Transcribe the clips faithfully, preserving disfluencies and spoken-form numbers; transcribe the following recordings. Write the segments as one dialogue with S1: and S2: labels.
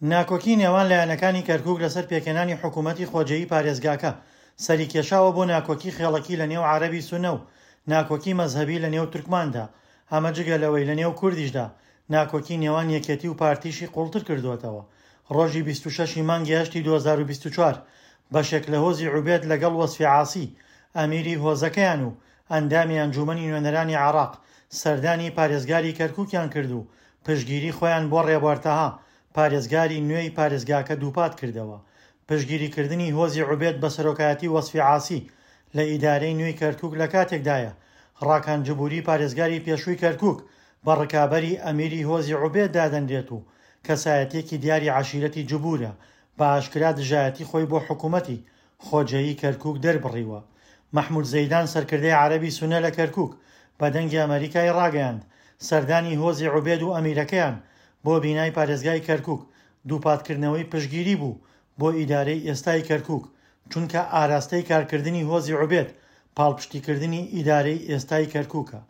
S1: ناکۆکی نێوان لایەنەکانی کەرکوک لەسەر پێکهێنانی حکوومەتی خۆجێیی پارێزگاکە سەریکێشاوە بۆ ناکۆکی خێڵەکی لە نێو عەرەبی سوننە و ناکۆکی مەزهەبی لە نێو تورکماندا، ئەمە جگە لەوەی لە نێو کوردیشدا ناکۆکی نێوان یەکێتی و پارتیشی قوڵتر کردووەتەوە. ڕۆژی بیست و شەش ی مانگی هەشتی دوو هەزار و بیست و چوار بەشێک لە هۆزی عوبێد لەگەڵ وەسفی عاسی ئەمیری هۆزەکەیان و ئەندامی ئەنجوومەنی نوێنەرانی عێراق سەردانی پارێزگاری کەرکوکیان کرد و پشتگیری خۆیان بۆ ڕێبوار تەها پارێزگاری نوێی پارێزگاکە دووپات کردەوە. پشتگیریکردنی هۆزی عوبێد بە سەرۆکایەتی وەسفی عاسی لە ئیدارەی نوێی کەرکوک لە کاتێکدایە ڕاکان جبوری پارێزگاری پێشووی کەرکوک بە ڕکابەری ئەمیری هۆزی عوبێد دادەنرێت و کەسایەتیەکی دیاری عەشیرەتی جبورە بە ئاشکرا دژایەتی خۆی بۆ حکومەتی خۆجێیی کەرکوک دەربڕیوە. مەحمود زەیدان سەرکردەی عەرەبی سونە لە کەرکوک بە دەنگی ئەمەریکای ڕاگەیاند سەردانی هۆزی عوبێد و ئەمیرەکەیان بۆ بینای پارێزگای کەرکوک دووپاتکردنەوەی پشتگیری بوو بۆ ئیدارەی ئێستای کەرکوک چونکە ئاراستەی کارکردنی هۆزی عوبێد پاڵپشتیکردنی ئیدارەی ئێستای کەرکوکە.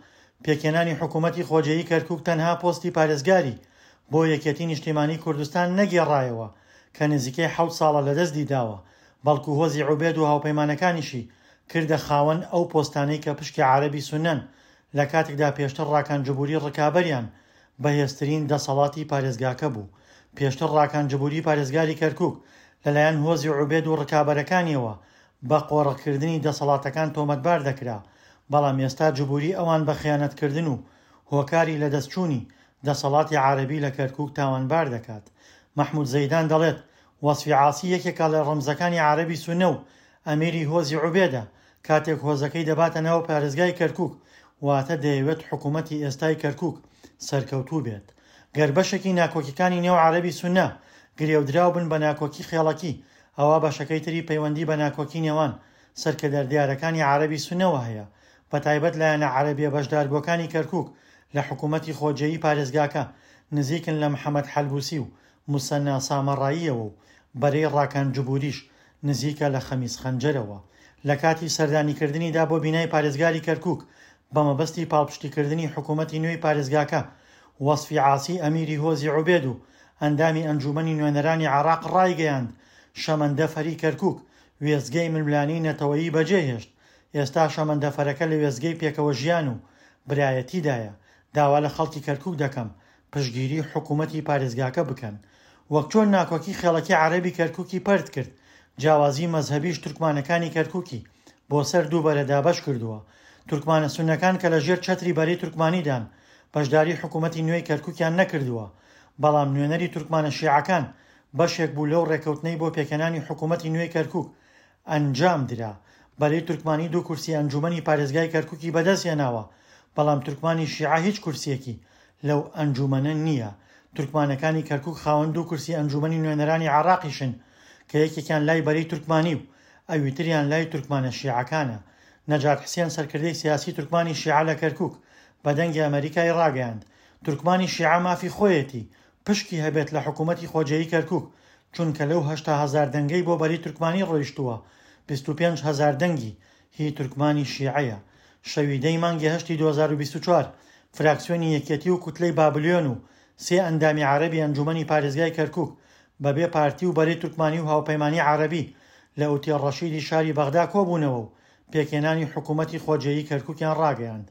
S1: پێکهێنانی حکومەتی خۆجێیی کەرکوک تەنها پۆستی پارێزگاری بۆ یەکێتی نیشتیمانی کوردستان نەگێڕایەوە کە نزیکەی حەوت ساڵە لەدەستی داوە، بەڵکو هۆزی عوبێد و هاوپەیمانەکانیشی کردە خاوەن ئەو پۆستانەی کە پشکی عەرەبی سوننەن، لە کاتێکدا پێشتر ڕاکان جبوری ڕکابەریان بەهێزترین دەسەڵاتی پارێزگاکە بوو. پێشتر ڕاکان جبوری پارێزگاری کەرکوک لەلایەن هۆزی عوبێد و ڕکابەرەکانیەوە بە قۆرخکردنی دەسەڵاتەکان تۆمەتبار دەکرا، بەڵام ئێستا جبوری ئەوان بە خیانەتکردن و هۆکاری لەدەستچوونی دەسەڵاتی عەرەبی لە کەرکوک تاوانبار دەکات. مەحمود زەیدان دەڵێت وەسفی عاسی یەکێکە لە ڕەمزەکانی عەرەبی سوننە و ئەمیری هۆزی عوبێدە، کاتێک هۆزەکەی دەباتە ناو پارێزگای کەرکوک واتە دەیەوێت حکوومەتی ئێستای کەرکوک سەرکەوتوو بێت. گەر بەشێکی ناکۆکیەکانی نێو عەرەبی سوننە گرێودراو بن بە ناکۆکی خێڵەکی، ئەوا بەشەکەی تری پەیوەندی بە ناکۆکی نێوان سەرکردە دیارەکانی عەرەبی سوننەوە هەیە، بەتایبەت لایەنە عەرەبیە بەشداربووەکانی کەرکوک لە حکوومەتی خۆجێیی پارێزگاکە نزیکن لە محەمەد حەلبوسی و موسەننا سامەڕاییەوە و بەرەی ڕاکان جبوریش نزیکە لە خەمیس خەنجەرەوە. لە کاتی سەردانیکردنیدا بۆ بینای پارێزگاری کەرکوک بە مەبەستی پاڵپشتیکردنی حکوومەتی نوێی پارێزگاکە، وەسفی عاسی ئەمیری هۆزی عوبێد و ئەندامی ئەنجوومەنی نوێنەرانی عێراق ڕایگەیاند شەمەندەفەری کەرکوک وێستگەی ململانێی نەتەوەیی بەجێهێشت، ئێستا شەمەندەفەرەکە لە وێستگەی پێکەوە ژیان و برایەتیدایە، داوا لە خەڵکی کەرکوک دەکەم پشتگیری حکوومەتی پارێزگاکە بکەن. وەک چۆن ناکۆکی خێڵەکی عەرەبی کەرکوکی پەرت کرد، جیاوازی مەزهەبیش تورکمانەکانی کەرکوکی بۆ سەر دوو بەرە دابەش کردووە. تورکمانە سوننەکان کە لە ژێر چەتری بەرەی تورکمانیدان بەشداری حکوومەتی نوێی کەرکوکیان نەکردووە، بەڵام نوێنەری تورکمانە شیعەکان بەشێک بوو لەو ڕێکەوتنەی بۆ پێکهێنانی حکوومەتی نوێی کەرکوک ئەنجام درا. بەرەی تورکمانی دوو کورسی ئەنجوومەنی پارێزگای کەرکوکی بەدەستهێناوە، بەڵام تورکمانی شیعە هیچ کورسیەکی لەو ئەنجوومەنە نییە. تورکمانەکانی کەرکوک خاوەن دوو کورسی ئەنجوومەنی نوێنەرانی عێراقیشن کە یەکێکیان لای بەرەی تورکمانی و ئەویتریان لای تورکمانە شیعەکانە. نەجات حسێن سەرکردەی سیاسی تورکمانی شیعە لە کەرکوک بە دەنگی ئەمەریکای ڕاگەیاند تورکمانی شیعە مافی خۆیەتی پشکی هەبێت لە حکوومەتی خۆجێیی کەرکوک، چونکە لەو هەشتا هەزار دەنگەی بۆ بەرەی تورکمانی ڕۆیشتووە بیست و پێنج هەزار دەنگی هی تورکمانی شیعەیە. شەوی دەی مانگی هەشتی دوو هەزار و بیست و چوار فراکسیۆنی یەکێتی و کوتلەی بابلیۆن و سێ ئەندامی عەرەبی ئەنجوومەنی پارێزگای کەرکوک بەبێ پارتی و بەرەی تورکمانی و هاوپەیمانی عەرەبی لە ئوتێل ڕەشیدی شاری بەغدا کۆبوونەوە و پێکهێنانی حکوومەتی خۆجێیی کەرکوکیان ڕاگەیاند.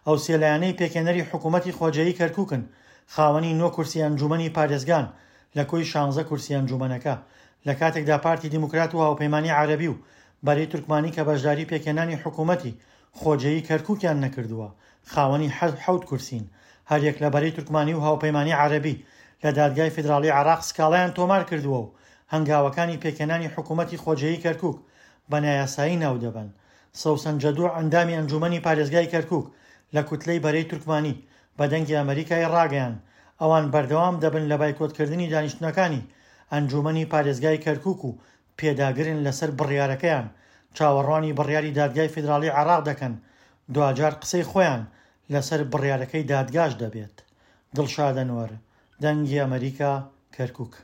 S1: ئەو سێ لایەنەی پێکهێنەری حکوومەتی خۆجێیی کەرکوکن خاوەنی نۆ کورسی ئەنجوومەنی پارێزگان لە کۆی شانزە کورسی ئەنجوومەنەکە، لە کاتێکدا پارتی دیموکرات و هاوپەیمانی عەرەبی و بەرەی تورکمانی کە بەشداری پێکهێنانی حکوومەتی خۆجێیی کەرکوکیان نەکردووە خاوەنی حەوت کورسین. هەریەک لە بەرەی تورکمانی و هاوپەیمانی عەرەبی لە دادگای فیدراڵی عێراق سکاڵایان تۆمار کردووە و هەنگاوەکانی پێکهێنانی حکوومەتی خۆجێیی کەرکوک بە نایاسایی ناودەبەن. سەوسەن جەدوع ئەندامی ئەنجوومەنی پارێزگای کەرکوک لە کوتلەی بەرەی تورکمانی بە دەنگی ئەمەریکای ڕاگەیاند ئەوان بەردەوام دەبن لە بایکۆتکردنی دانیشتنەکانی ئەنجوومەنی پارێزگای کەرکوک و پێداگرن لەسەر بڕیارەکەیان، چاوەڕوانی بڕیاری دادگای فیدراڵی عێراق دەکەن، دواجار قسەی خۆیان لەسەر بڕیارەکەی دادگاش دەبێت. دڵشاد ئەنوەر، دەنگی ئەمەریکا، کەرکوک.